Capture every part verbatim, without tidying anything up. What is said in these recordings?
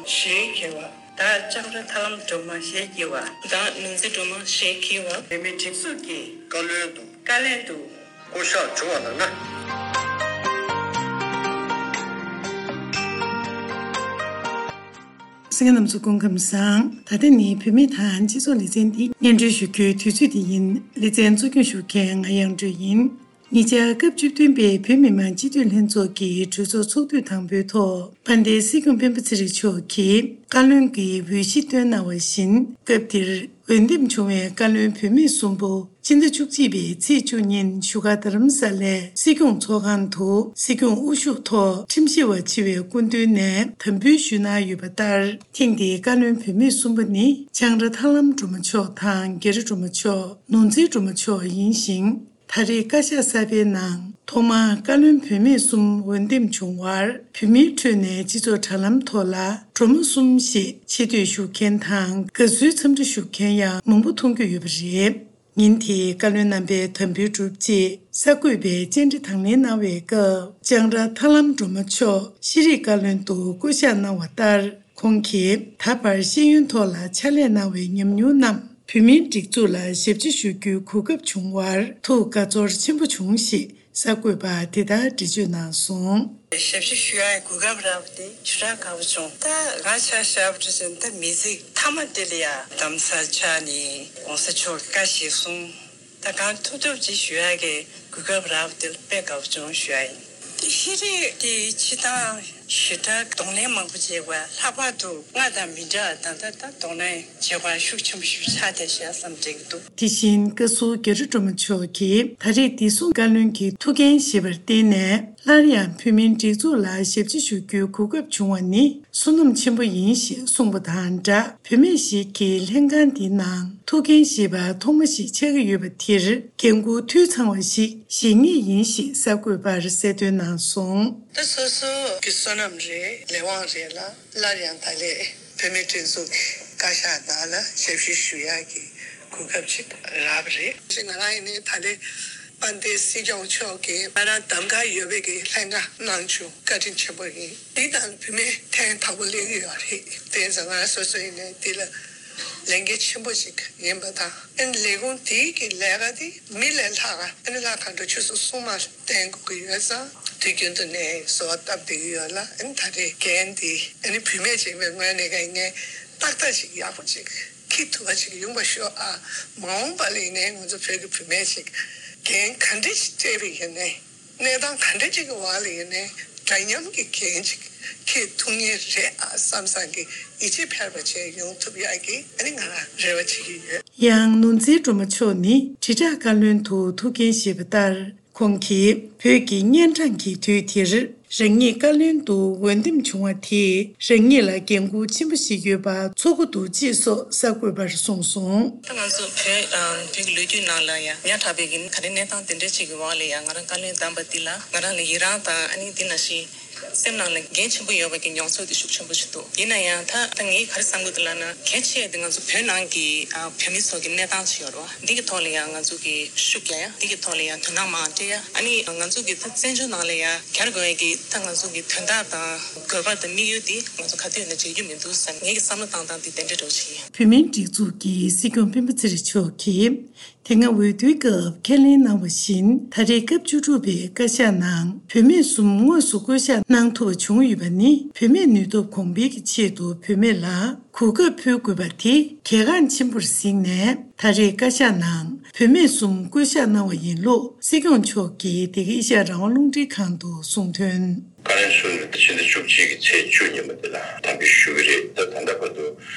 ཞེས་བགྱི་བ། བདག་ལྕང་ར་ཐར་ལམ་སྒྲོལ་མ་ཞེས་བགྱི་བ། བདག་ནོར་རྩེ་སྒྲོལ་མ་ཞེས་བགྱི་བ། བོད་མིའི་སྒྲིག་འཛུགས་ཀྱི་བཀའ་བློན་དུ། བཀའ་བློན་དུ། བསྐོ་གཞག་བྱུང་བ་ལགས་ན། གསན་མཁན་རྣམ་ཚོ་སྐུ་ཁམས་བཟང་། ད་ལྟ་ནི་བུད་མེད་དང་སྤྱི་ཚོགས་ལེ་ཚན་འདི་སྙན་སྒྲོན་ཞུ་རྒྱུའི་དུས་ཚོད་འདི་ཡིན། ལེ་ཚན་གཙོ་སྐྱོང་ཞུ་མཁན་ང་དབྱངས་སྒྲོན་ཡིན། ཉེ་ཆར་སྐབས་བཅུ་བདུན་པའི་བོད་མི་མང་སྤྱི་འཐུས་ལྷན་ཚོགས་ཀྱི་གྲོས་ཚོགས་ཚོགས་དུས་དང་པོའི་ཐོག་དཔལ་ལྡན་སྲིད་སྐྱོང་སྤེན་པ་ཚེ་རིང་མཆོག་གིས་བཀའ་བློན་གྱི་འོས་གཞི་བཏོན་གནང་བ་བཞིན། སྐབས་དེར་འོས་འདེམས་བྱུང་བའི་བཀའ་བློན་བུད་མེད་གསུམ་པོ་སྤྱི་ཟླ་བཅུ་གཅིག་པའི་ཚེས་བཅུ་ཉིན་བཞུགས་སྒར་རྡ་རམ་ས་ལའི་སྲིད་སྐྱོང་ཚོགས་ཁང་དུ་སྲིད་སྐྱོང་དབུ་བཞུགས་ཐོག་ཁྲིམས་ཞིབ་པ་ཆེ་བའི་སྐུ་མདུན་ནས་དམ་འབུལ་ཞུས་གནང་ཡོད་པ་ལྟར། ཐེངས་འདིའི་བཀའ་བློན་བུད་མེད་གསུམ་པོ་ནི་ལྕང་ར་ཐར་ལམ་སྒྲོལ་མ་མཆོག་དང་རྒྱ་རི་སྒྲོལ་མ་མཆོག་ནོར་འཛིན་སྒྲོལ་མ་མཆོག་ཡིན་ཞིང་། ད་རེས་བཀའ་ཤག་གསར་པའི་ནང་ཐོག་མར་བཀའ་བློན་བུད་མེད་གསུམ་འོས་འདེམས་བྱུང་བར། བོད་མིའི་ཁྲོད་ནས་སྤྱི་ཚོགས་དྲ་ལམ་ཐོག་ལ་སྒྲོལ་མ་གསུམ་ཞེས་ཆེ་བསྟོད་ཞུ་མཁན་དང་དགའ་བསུའི་འཚམས་འདྲི་ཞུ་མཁན་ཡང་མང་པོ་མཐོང་རྒྱུ་ཡོད་པ་རེད། ཉིན་དེའི་བཀའ་བློན་རྣམ་པའི་དམ་འབུལ་གྲུབ་རྗེས་གསར་འགོད་པས་བཅར་འདྲི་དང་ལེན་གནང་བའི་སྐབས། ལྕང་ར་ཐར་ལམ་སྒྲོལ་མ་མཆོག་ཤེས་རིག་བཀའ་བློན་དུ་བསྐོ་གཞག་གནང་བ་ལྟར། ཁོང་གིས་ད་བར་ཤེས་ཡོན་ཐོག་ལ་ཕྱག་ལས་གནང་བའི་ཉམས་མྱོང་རྣམས་བོད་མིའི་སྒྲིག་འཛུགས་ལ་ཞབས་ཕྱི་ཞུ་རྒྱུའི་གོ་སྐབས་བྱུང་བར་ཐུགས་དགའ་ཚོར་ཆེན་པོ་བྱུང་ཞེས་གསར་འགོད་པར་དེ་ལྟར་འགྲེལ་བརྗོད་གནང་སོང་། ཞབས་ཕྱི་ཞུ་ཡག་གི་གོ་སྐབས་རག་པ་དེ་ཞེ་དྲག་དགའ་པོ་བྱུང་། ད་ང་ཆ་བཞག་པ་འདྲ་བྱས་ན་ད་མི་ཚེ་མཐའ་མ་དེ་ལ་ཡ་གདམ་ས་ཆགས་ནས་༸གོང་ས་མཆོག་གི་བཀའ་གཞིར་བཟུང་། ད་གང་ཐུབ་ཐུབ་ཅིག་ཞུ་ཡག་གི་གོ་སྐབས་རག་པ་དེ་ལ་དཔེ་དགའ་པོ་བྱུང་ཞུ་ཡག་ཡིན། དེ་ཤེས་རིག་དེ་སྤྱིར་བཏང་ཞེ་དྲག་གདོང་ལེན་མང་པོ་བྱས་པ། ལྷག་པར་དུ་སྔར་དང་མི་འདྲ་བ་ད་ལྟ་ད་གདོང་ལེན་བྱེད་པ་ཤུགས་ཆེན་པོ་ཞིག་ཆགས་བསྡད་ཤག་བསམ་དྲན་གྱི་འདུག། དེ་བཞིན་བཀའ་ཟུར་རྒྱ་རི་སྒྲོལ་མ་མཆོག་གིས་ད་རེས་བདེ་སྲུང་བཀའ་བློན་གྱི་ཐུགས་འགན་བཞེས་པར་བརྟེན་ནས། སླར་ཡང་བོད་མིའི་སྒྲིག་འཛུགས་ལ་ཞབས་ཕྱི་ཞུ་རྒྱུའི་གོ་སྐབས་བྱུང་བ་ནི་བསོད་ནམས་ཆེན་པོ་ཡིན་ཞེས་གསུངས་པ་དང་སྦྲགས། བུད་མེད་ཞིག་གིས་ལྷན་ཁང་འདིའི་ནང་ཐུགས་འགན་བཞེས་པ་ཐོག་མ་ཞིག་ཆགས་ཀྱི་ཡོད་པ་དེར་འགན་འཁུར་འཐུས་ཚང་བ་ཞིག་བཞེས་ངེས་ཡིན་ཞེས་གསར་འགོད་པར་གསལ་སྟོན་གནང་སོང་། ད་སོ་སོ་གི་བསོད་ནམས་རེད། ལས་དབང་རེད་ལ། སླར་ཡང་ད་ལས་བོད་མིའི་སྒྲིག་འཛུགས་ཀྱི་བཀའ་ཤག་ནང་ལ་ཞབས་ཞུ་ཞུ་ཡག་གི་གོ་སྐབས་ཅིག་རག་པ་རེད། ང་རང་ཡིན་ནའི་ད་ལས་དཔལ་ལྡན་སྲིད་སྐྱོང་མཆོག་གིས་ང་རང་གདམ་ག་ཡོད་པའི་གི་ལྷན་ཁང་གནང་བྱུང་། བཀའ་དྲིན་ཆེན་པོ་ཡིན། འདི་ནང་བུད་མེད་ཐེངས་དང་པོ་སླེབས་ཀྱི་ཡོད་རེད། དེ་ཙང་ང་སོ་སོ་ཡིན་ནའི་འདི་ལ་ལས་འགན་ཆེན་པོ་ཞིག་ཡིན་པ་དང་། ཨ་ནི་ལས་ཁུངས་དེའི་གི་ལས་ཀ་དེ་མི་ལས་ལྷག་ག་ཨ་ནི་ལྷ་མཁའ་འགྲོ་ཆོས་སྲུང་སྲུང་མ་བསྟེན་དགོས་ཀྱི་ཡོད་ཙང་། དུས་རྒྱུན་དུ་ནས་གསོལ་བ་བཏབ་བསྡད་ཀྱི་ཡོད་ལ། ཨ་ནི་ད་རེས་འགན་འདི་ཨ་ནི་བུད་མེད་ཅིག་ཡིན་པའི་ངོས་ནས་ཀྱང་ངས་ཏག་ཏག་ཅིག་ཡག་པོ་ཅིག་འཁྱེར་ཐུབ་པ་ཅིག་ཡོང་བ་ཤོག་ཨ། མ་འོངས་པ་ལ་ཡིན་ནའི་ང་ཚོ་བོད་ཀྱི་བུད་མེད་ཅིག་འགན་ག་འདྲ་ཞིག་སྤྲད་པ་ཡིན་ནའི། གནས་སྟངས་ག་འདྲ་ཅིག་གི་འོག་ལ་ཡིན་ནའི་འདྲ་མཉམ་གྱི་འགན་ཅིག་འཁྱེར་ཐུབ་ངེས་རེད་ཨ་བསམ་བསམ་གྱི་ཡིད་ཆེས་འཕེར་བ་བྱས་ཡོང་ཐུབ་ཡག་གི་ཨ་ནི་ང་རང་རེ་བ་བྱེད་ཀྱི་ཡོད། ཡང་ནོར་འཛིན་སྒྲོལ་མ་མཆོག་ནི་དྲིལ་བསྒྲགས་བཀའ་བློན་དུ་ཐུགས་འགན་བཞེས་པ་ལྟར། ཁོང་གིས་བོད་ཀྱི་གཉན་འཕྲང་གི་དུས་དེར་རང་ཉིད་བཀའ་བློན་དུ་འོས་འདེམས་བྱུང་བ་དེས་རང་ཉིད་ལ་འགན་ཁུར་ཆེན་པོ་ཞིག་ཡོད་པ་ཚོར་གྱི་འདུག་ཅེས་སོགས་གསར་འགོད་པར་གསུངས་སོང་། ད་ང་ཚོ་བོད་ཨ་བོད་ཀྱི་ལོ་རྒྱུས་ནང་ལ་ཡང་ཉག་ཕྲ་བའི་གི་ག་རེ་གནས་སྟངས་དེ་འདྲ་ཅིག་གི་འོག་ལ་ཡང་ང་རང་བཀའ་བློན་བདམས་པ་འདི་ལ་ང་རང་ལ་ཡི་རང་དང་ཨ་ནི་འདི་ནང་བཞིན་སེམས་ནང་ལ་འགན་ཆེན་པོ་ཡོད་པ་གི་མྱོང་ཚོར་དེ་ཤུགས་ཆེན་པོ་ཞིག་འདུག། ཡིན་ན་ཡང་ད་ད་ངས་ག་རེ་བསམ་གྱི་འདུག་ལབ་ན། གལ་ཆེ་དེ་ང་ཚོ་བོད་ནང་གི་ཨ་བོད་མི་ཚོ་གི་གནས་སྟངས་ཅིག་ཡོད་རེད་བ། འདི་གི་ཐོག་ལ་ཡང་ང་ཚོ་གི་ཤུགས་རྒྱག་ཡ། འདི་གི་ཐོག་ལ་ཡང་དོ་སྣང་མང་སྤྲད་ཡ། ཨ་ནི་ང་ཚོ་གི་ད་བཙན་བྱོལ་ནང་ལ་ཡང་གྱར་དགོས་ཡ་གི་ད་ང་ཚོ་གི་དོན་དག་དང་དགོས་པ་དང་དམིགས་ཡུལ་དེ་ང་ཚོ་ག་དུས་ཡིན་ན་བརྗེད་རྒྱུ་མི་འདུག་བསམ། ངེད་ཀྱི་བསམ་བློ་བཏང་སྟངས་དེ་དེ་འདྲ་འདྲ་བོ་ཞིག་ཡིན། བོད་མིའི་སྒྲིག་འཛུགས་ཀྱི་སྲིད་སྐྱོང་སྤེན་པ་ཚེ་རིང་མཆོག་གིས། དེ་སྔ་འོས་བསྡུའི་སྐབས་ཁས་ལེན་གནང་བ་བཞིན། ད་རེས་སྐབས་བཅུ་དྲུག་པའི་བཀའ་ཤག་ནང་བུད་མེད་གསུམ་དངོས་སུ་བསྐོ་གཞག་གནང་ཐུབ་པ་བྱུང་ཡོད་པ་ནི། བུད་མེད་ནུས་སྟོབས་གོང་འཕེལ་གྱི་ཆེད་དུ་བུད་མེད་ལ་གོ་སྐབས་ཕུལ་དགོས་པ་དེ་གལ་འགངས་ཆེན་པོར་གཟིགས་ནས། ད་རེས་བཀའ་ཤག་ནང་བུད་མེད་གསུམ་བསྐོ་གཞག་གནང་བ་ཡིན་ལུགས་སྲིད་སྐྱོང་མཆོག་གིས་འདི་ག་ཨེ་ཤ་ཡ་རང་དབང་རླུང་འཕྲིན་ཁང་དུ་གསུངས་དོན། བཀའ་བློན་གསུམ་ནི་ཕྱི་ཟླ་བཅུ་གཅིག་གི་ཚེས་བཅུ་ཉིན་མོ་དེ་ལ་དམ་འབུལ་ཞུ་གི་རེད། ད་ད་ལྟ་བར་དུ་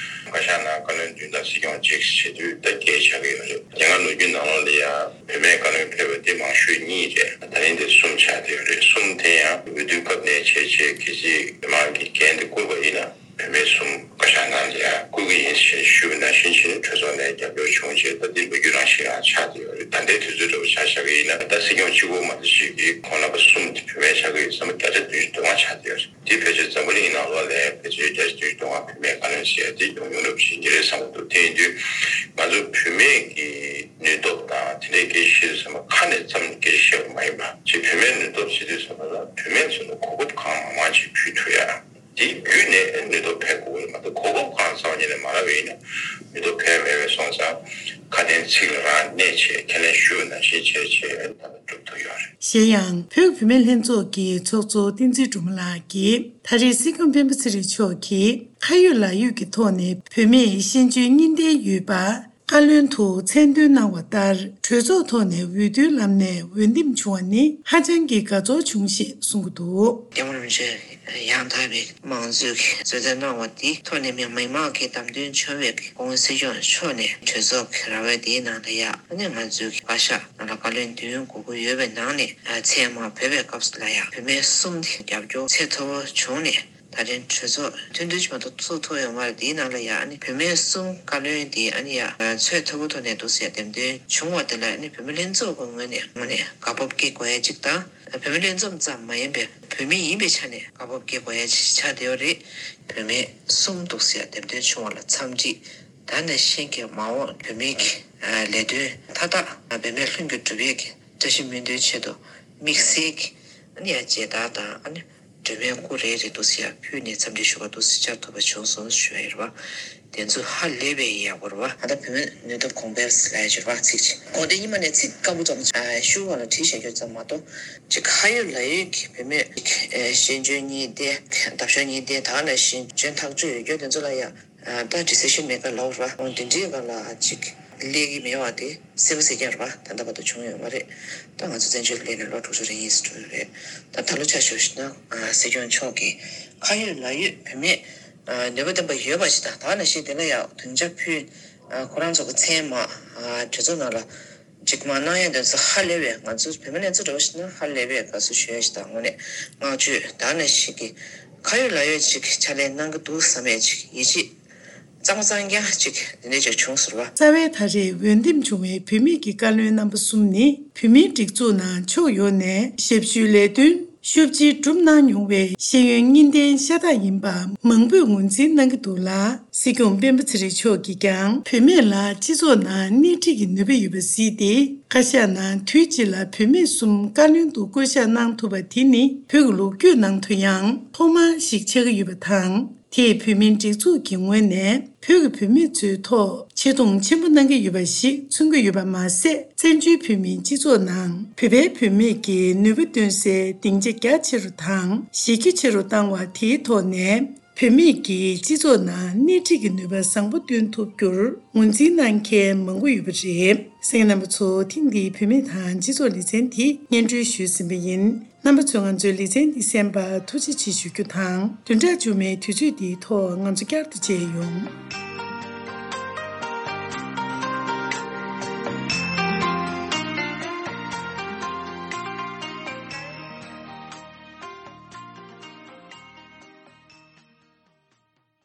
བཀའ་ཤག་ནང་བཀའ་བློན་བདུན་དང་སྲིད་སྐྱོང་གཅིག་བྱེད་དུས་ད་བརྒྱད་ཆགས་ཀྱི་ཡོད་རེད། དེ་སྔ་ལོ་རྒྱུས་ནང་ལོགས་ལ་ཡང་བུད་མེད་བཀའ་བློན་ཕེབས་པ་དེ་མང་ཤོས་གཉིས་རེད། ད་རིང་དེ་གསུམ་ཆགས་བསྡད་ཡོད་རེད། གསུམ་དེ་ཡང་འོས་བསྡུ་སྐབས་ནས་བྱས་བྱས་གལ་སྲིད་མི་མང་གིས་འགན་དེ་བསྐུར་བ་ཡིན་ན། བུད་མེད་གསུམ་བཀའ་ཤག་ནང་ལ་ཡང་བསྐོ་གི་ཡིན་ཞེས་ཞུས་པ་ནང་བཞིན་བྱས་ནས་གྲོས་ཚོགས་ནས་རྒྱབ་སྐྱོར་བྱུང་རྗེས་ད་འདི་ལོ་རྒྱུས་རང་བཞིན་རང་ཆགས་བསྡད་ཡོད་རེད། ད་ལྟའི་དུས་ཚོད་འདྲ་བོ་ཆ་བཞག་གི་ཡིན་ན་ད་སྲིད་སྐྱོང་གཅིག་པོ་མ་གཏོགས་ཤིག་གིས་ཁོང་རྣམ་པ་གསུམ་དེ་བུད་མེད་ཆགས་ཀྱི་ཡོད་ཙང་བརྒྱ་ཆ་བདུན་ཅུ་དོན་ལྔ་ཆགས་བསྡད་ཡོད་རེད། དེ་ཕལ་ཆེར་འཛམ་བུ་གླིང་ནང་ལོགས་ལ་ཕལ་ཆེར་བརྒྱ་ཆ་བདུན་ཅུ་དོན་ལྔ་བུད་མེད་བཀའ་བློན་ཟེར་ཡ་དེ་ཡོང་ཡོང་འདྲ་བོ་ཞིག་ཡིན་གྱི་རེད་བསམ་གྱི་འདུག། དེ་ཡིན་དུས་ང་ཚོ་བུད་མེད་ཀྱི་ནུས་སྟོབས་དང་དེ་འདྲའི་སྐད་ཆ་བཤད་དུས་ཙམ་པ་ཁ་ནས་ཙམ་སྐད་ཆ་བཤད་པ་མ་ཡིན་པ། ཅིག་བུད་མེད་ནུས་སྟོབས་ཟེར་དུས་ཙམ་པ་ལ་བུད་མེད་ཚོ་ལ་གོ་སྐབས་གང་མང་མང་ཅིག་ཕུལ་ཐུབ་ཡ། དེ་བརྒྱུད་ནས་ནུས་སྟོབས་འཕེལ་དགོས། ལྟ་བས་ན་མི་ཐོག་ཕན་མེད་པས་སོང་ཙང་ཁ་དན་ཚིག་ལ་རང་གནས་བྱས་ཁས་ལེན་ཞུ་ནང་བཞིན་བྱས་བྱས་ད་ལྟ་གྲུབ་ཐུབ་ཡོད་རེད། གཞན་ཡང་བོད་བུད་མེད་ལྷན་ཚོགས་ཀྱི་ཚོགས་གཙོ་བསྟན་འཛིན་སྒྲོལ་མ་ལགས་ཀྱིས་ད་རེས་སྲིད་སྐྱོང་སྤེན་པ་ཚེ་རིང་མཆོག་གིས་ཁ་ཡོད་ལག་ཡོད་ཀྱི་ཐོག་ནས་བོད་མིས་ཤེས་འཇོན་གཉིས་ལྡན་ཡོད་པ། བཀའ་བློན་དུ་མཚན་འདོན་གནང་བ་ལྟར་གྲོས་ཚོགས་ཐོག་ནས་འོས་བསྡུའི་ལམ་ནས་འོས་འདེམས་བྱུང་བ་ནི་ཧ་ཅང་གི་དགའ་ཚོར་བྱུང་ཞེས་གསུངས་ཀྱི་འདུག། རྒྱལ་བ་རིན་པོ་ཆེ་ཡང་དག་པའི་མང་གཙོའི་གི་གཙོས་འཛིན་གནང་བ་དེའི་ཐོག་ནས་མི་མང་གི་བདམས་ཐོན་བྱུང་བའི་གི་སྐུ་ངོ་སྲིད་སྐྱོང་མཆོག་ནས་གྲོས་ཚོགས་ཀྱི་ར་བ་དེའི་ནང་ལ་ཡ་ཨ་ནི་ང་ཚོའི་གི་བཀའ་ཤག་ནང་ལ་བཀའ་བློན་བདུན་དགོས་ཀྱི་ཡོད་པའི་ནང་ནས་མཚན་མ་བོས་པའི་སྐབས་སུ་ལ་ཡ་བུད་མེད་གསུམ་དེ་རྒྱབ་སྐྱོར་ཚད་མཐོ་པོ་བྱུང་ནས། ད་ཐེངས་གྲོས་ཚོགས་ཐུན་བསྡུས་ཅིག་མ་གཏོགས་ཚུགས་ཐུབ་ཡོད་མ་རེད། དེའི་ནང་ལ་ཡང་ཨ་ནི་བུད་མེད་གསུམ་བཀའ་བློན་དེ་ཨ་ནི་ཡང་ཚད་མཐོ་པོ་ཐོག་ནས་འདུག་ཟེར་འདེམས་ཐོན་བྱུང་བ་དེ་ལ་ཨ་ནི་བུད་མེད་ལྷན་ཚོགས་ཀྱི་ངོས་ནས་ངོས་ནས་དགའ་སྤོབས་སྐྱེ་དགོས་ཡ་གཅིག་དང་། བུད་མེད་ལྷན་འཛོམས་ཙམ་མ་ཡིན་པའི་བུད་མེད་ཡིན་པའི་ཆ་ནས་དགའ་སྤོབས་སྐྱེ་དགོས་ཡ་གཅིག་ཆགས་བསྡད་ཡོད་རེད། བུད་མེད་གསུམ་འདུག་ཟེར་འདེམས་ཐོན་བྱུང་བ་ལ་འཚམས་འདྲི། ད་ནང་བཞིན་གྱི་མ་འོངས་བུད་མེད་ཀྱི་ལས་དོན་མཐའ་དག་བུད་མེད་ལྷུན་གྱིས་གྲུབ་ཡས་ཀྱི་བཀྲ་ཤིས་སྨོན་འདུན་ཆེད་དུ་དམིགས་བསལ་གྱི་ཨ་ནི་ཡང་མཇལ་དར་དང་ཨ་ནི་སྒྲོལ་མའི་སྐུ་རེ་རེ་འདུག་སེ་ཡར་ཕུལ་ནས་འཚམས་འདྲི་ཞུ་བ་འདུག་སེ་བཅར་ཐུབ་པ་བྱུང་སོང་ཞུ་ཡ་ཡིན་རེད་བ། དེ་ཚོ་ཧ་ལས་པའི་ཡག་པོ་རེད་བ། ད་ལྟ་བུད་མེད་ནུས་སྟོབས་གོང་འཕེལ་ལབ་ཡ་ཅིག་རེད་བ་ཚིག་ཅིག་གོ་དེ་ཉི་མ་ནས་ཚིག་སྐམ་པོ་ཙམ་ཞུ་བ་ལ་བྲིས་བཞག་རྒྱུ་ཙམ་མ་གཏོགས་ཅིག་ཁ་ཡོད་ལག་ཡོད་ཀྱི་བུད་མེད་ཤེས་འཇོན་གཉིས་ལྡན་འདབ་ཤོག་གཉིས་ལྡན་ད་ག་ནང་བཞིན་འཇོན་ཐག་ཆོད་ཡོད་རྒྱུ་དེ་ཚོ་ལ་ཡ། ད་ཌི་སི་ཤན་མེ་ཀར་ལབ་ར་འོང་དེ་འདྲའི་སྒང་ལ་ཅིག་སླེབས་ཀྱི་མེད་པ་དེ་གསལ་པོ་གསལ་རྐྱང་རེད་བ། ད་ལྟ་བར་དུ་བྱུང་ཡོད་མ་རེད། ད་ང་ཚོ་བཙན་བྱོལ་སླེབས་ནས་ལོ་དྲུག་ཅུ་རེ་གཉིས་སུ་འགྲོ་ཡོད་རེད། ད་ད་ལོ་ཆ་བཞག་ན་སྲིད་སྐྱོང་མཆོག་གིས་ཁ་ཡོད་ལག་ཡོད་བུད་མེད་ནུས་པ་ལྡན་པ་ཡོད་པ་ཞིག་དང་ད་ག་ནང་བཞིན་དེ་ལ་ཡང་སྡིངས་ཆ་ཕུལ། ཁོ་རང་ཚོ་གི་མཚན་མ་གྲོས་ཚོགས་ནང་ལ། གཅིག་མ་གནང་ཡ་དེ་ཚོ་ཧ་ལས་པའི་ང་ཚོ་བོད་མི་ལྷན་ཚོགས་འདྲ་བོ་ཞིག་ན་ཧ་ལས་པའི་དགའ་བསུ་ཞུ་ཡ་ཞིག་དང་དངོས་གནས་བསྔགས་བརྗོད་ད་ནང་བཞིན་གྱི་ཁ་ཡོད་ལག་ཡོད་ཅིག་ཕྱག་ལས་གནང་གི་འདུག་བསམ་ཡ་ཅིག་ཡིད་ཆེས་གཙང་མ་གཙང་རྐྱང་ཅིག་དེ་འདྲ་ཅིག་བྱུང་ཟེར་བ། རྩ་བའི་ད་རེས་འོས་འདེམས་བྱུང་བའི་བུད་མེད་ཀྱི་བཀའ་བློན་རྣམ་པ་གསུམ་ནི་བུད་མེད་སྒྲིག་འཛུགས་ནང་ཕྱོགས་ཡོངས་ནས་ཞབས་ཞུའི་ལས་དོན། ཤུགས་ཆེ་བསྒྲུབས་གནང་མྱོང་བའི་ཤེས་ཡོན་གཉིས་ལྡན་ཤ་སྟག་ཡིན་པ་མང་པོས་ངོས་འཛིན་གནང་གི་འདུག་ལ། སྲིད་སྐྱོང་སྤེན་པ་ཚེ་རིང་མཆོག་གིས་ཀྱང་བུད་མེད་ལ་སྤྱི་ཚོགས་ནང་སྣེ་ཁྲིད་ཀྱི་ནུས་པ་ཡོད་པ་གཟིགས་ཏེ་བཀའ་ཤག་ནང་དུས་གཅིག་ལ་བུད་མེད་གསུམ་བཀའ་བློན་དུ་བསྐོ་གཞག་གནང་ཐུབ་པ་དེ་ནི་བོད་ཀྱི་ལོ་རྒྱུས་ནང་དུ་ཡང་ཐོག་མ་ཞིག་ཆགས་ཀྱི་ཡོད་པ་དང་། དེས་བོད་མིའི་སྒྲིག་འཛུགས་ཀྱི་ངོས་ནས་བོད་ཀྱི་བུད་མེད་ཚོའི་ཐོག་ཆེ་མཐོང་ཆེན་པོ་གནང་གི་ཡོད་པ་ཞིག་མཚོན་གྱི་ཡོད་པ་མ་ཟད། བཙན་བྱོལ་བོད་མིའི་སྤྱི་ཚོགས་ནང་བོད་པའི་བུད་མེད་ཀྱི་ནུས་པ་འདོན་སའི་སྡིངས་ཆ་རྒྱ་ཆེ་རུ་དང་གཞི་རྒྱ་ཆེ་རུ་བཏང་བ་དེའི་ཐོག་ནས་བུད་མེད་ཀྱིས་སྤྱི་ཚོགས་ནང་སྣེ་ཁྲིད་ཀྱི་ནུས་པ་བཟང་པོ་འདོན་ཐུབ་རྒྱུར་ངོས་འཛིན་གནང་མཁན་མང་པོ་ཡོད་པ་རེད། གསན་མཁན་རྣམ་པ་ཚོ་ཐེངས་འདིའི་བུད་མེད་དང་སྤྱི་ཚོགས་ལེ་ཚན་དེ་སྙན་སྒྲོན་ཞུས་ཟིན་པ་ཡིན། རྣམ་པ་ཚོས་ང་ཚོའི་ལེ་ཚན་འདི་གསན་པར་ཐུགས་རྗེ་ཆེ་ཞུ་རྒྱུ་དང་། བདུན་ཕྲག་མཇུག་མའི་དུས་ཚོད་འདིའི་ཐོག་ང་ཚོ་བསྐྱར་དུ་མཇལ་ཡོང་།